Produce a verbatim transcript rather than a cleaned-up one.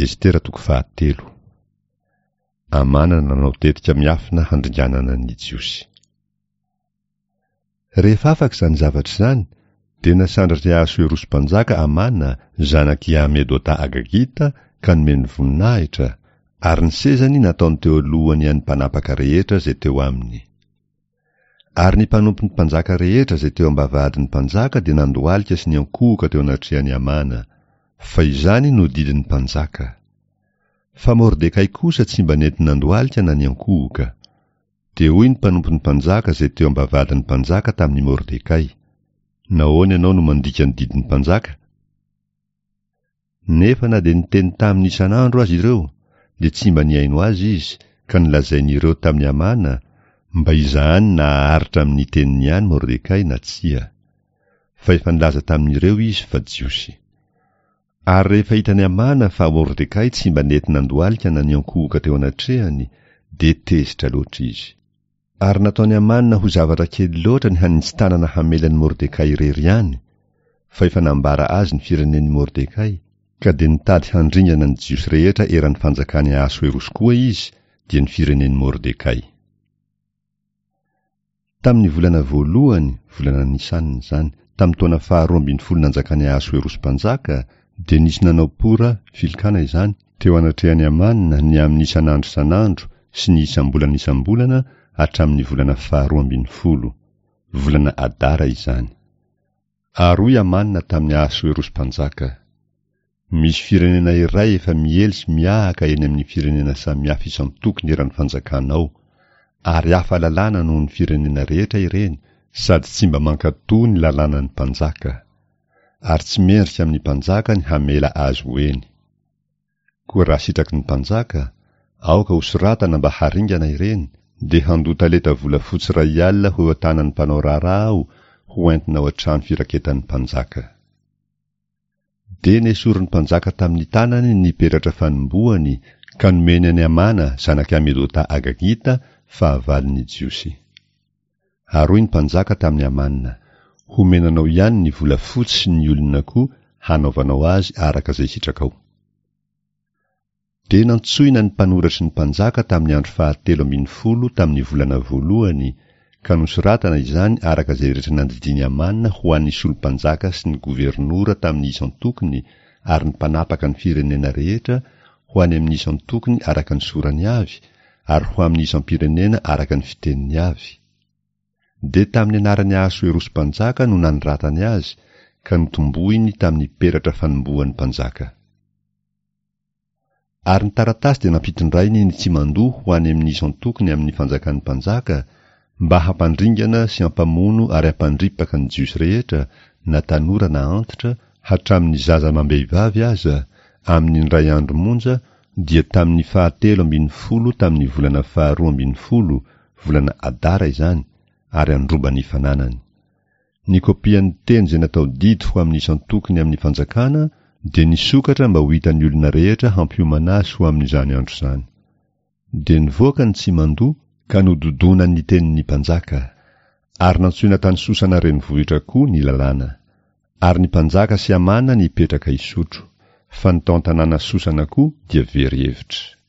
Estera toko fahatelo. Amana nanao tetika miafina handringanana ny Jiosy. Rehefa afaka izany zavatra izany, dia nasandratr'i Ahasoerosy mpanjaka Amana, zanak'i Hamedota Agagita, ka nomeny voninahitra, ary ny sezany nataony teo alohany an'ny mpanapaka rehetra izay teo aminy. Ary ny mpanompon'ny mpanjaka rehetra izay teo am-bavahadin'ny mpanjaka dia nandohalika sy niankohoka teo anatrehan'i Amana, fa izany no didin'ny mpanjaka. Fa Mordekay kosa tsy mba nety nandohalika na niankohoka. Dia hoy ny mpanompon'ny mpanjaka izay teo am-bavahadin'ny mpanjaka tamin'i Mordekay: Nahoana ianao no mandika ny didin'ny mpanjaka? Nefa na dia niteny taminy isan'andro azy ireo, dia tsy mba nihaino azy izy, ka nolazain'ireo tamin'i Amana, mba hizahany na haharitra amin'ny teniny ihany Mordekay na tsia. Fa efa nilaza tamin'ireo izy fa Jiosy. Ary rehefa hitan'i Amana fa Mordekay tsy mba nety nandohalika na niankohoka teo anatrehany, dia tezitra loatra izy. Ary nataon'i Amana ho zavatra kely loatra ny haninji-tanana hamela an'i Mordekay irery ihany, fa efa nambara azy ny firenen'i Mordekay, ka dia nitady handringana ny Jiosy rehetra eran'ny fanjakan'i Ahasoerosy koa izy, dia ny firenen'i Mordekay. Tamin'ny volana voalohany, volana Nisana izany, tamin'ny taona faharoa ambin'ny folo nanjakan'i Ahasoerosy mpanjaka, dia nisy nanao pora, filokana izany, teo anatrehan'i Amana ny amin'ny isan'andro isan'andro sy ny isam-bolana isam-bolana hatramin'ny volana faharoa ambin'ny folo, volana Adara izany. Ary hoy Amana tamin'i Ahasoerosy mpanjaka: Misy firenena iray efa miely sy miahaka eny amin'ny firenena samihafa isan-tokony eran'ny fanjakanao, ary hafa lalàna noho ny firenena rehetra ireny, sady tsy mba mankatò ny lalànan'ny mpanjaka. Ary tsy mendrika amin'ny mpanjaka ny hamela azy ho eny. Koa raha sitraky ny mpanjaka, aoka hosoratana mba haringana ireny, dia handoa talenta volafotsy iray alina ho eo an-tanan'ny mpanao raharaha aho ho entina ao an-trano firaketan'ny mpanjaka. Dia nesorin'ny mpanjaka tamin'ny tanany ny peratra fanombohany ka nomeny an'i Amana zanak'i Hamedota Agagita, fahavalon'ny Jiosy. Ary hoy ny mpanjaka tamin'i Amana: Homena anao ihany ny volafotsy sy ny olona koa hanaovanao azy araka izay sitrakao. Dia nantsoina ny mpanoratry ny mpanjaka tamin'ny andro fahatelo ambin'ny folo tamin'ny volana voalohany, ka nosoratana izany araka izay rehetra nandidian'i Amana ho an'ny solom-panjaka sy ny governora tamin'ny isan-tokony ary ny mpanapaka ny firenena rehetra ho any amin'ny isan-tokony araka ny sorany avy, ary ho amin'ny isam-pirenena araka ny fiteniny avy. Dia tamin'ny anaran'i Ahasoerosy mpanjaka no nanoratany azy, ka notombohiny tamin'ny peratra fanombohan'ny mpanjaka. Ary ny taratasy dia nampitondrainy ny tsimandoa ho any amin'ny isan-tokony amin'ny fanjakan'ny mpanjaka, mba hampandringana sy hampamono ary hampandripaka ny Jiosy rehetra, na tanora na antitra, hatramin'ny zaza amam-behivavy aza, amin'ny indray andro monja, dia tamin'ny fahatelo ambin'ny folo tamin'ny volana faharoa ambin'ny folo, volana Adara izany, ary handroba ny fananany. Ny kopian'ny teny izay natao didy ho amin'ny isan-tokony amin'ny fanjakana dia nisokatra mba ho hitan'ny olona rehetra hampiomana azy ho amin'izany andro izany. Dia nivoaka ny tsimandoa ka nododona ny tenin'ny mpanjaka. Ary nantsoina tany Sosana renivohitra koa ny lalàna. Ary ny mpanjaka sy Amana nipetraka hisotro. Fa ny tao an-tanàna Sosana koa dia very hevitra.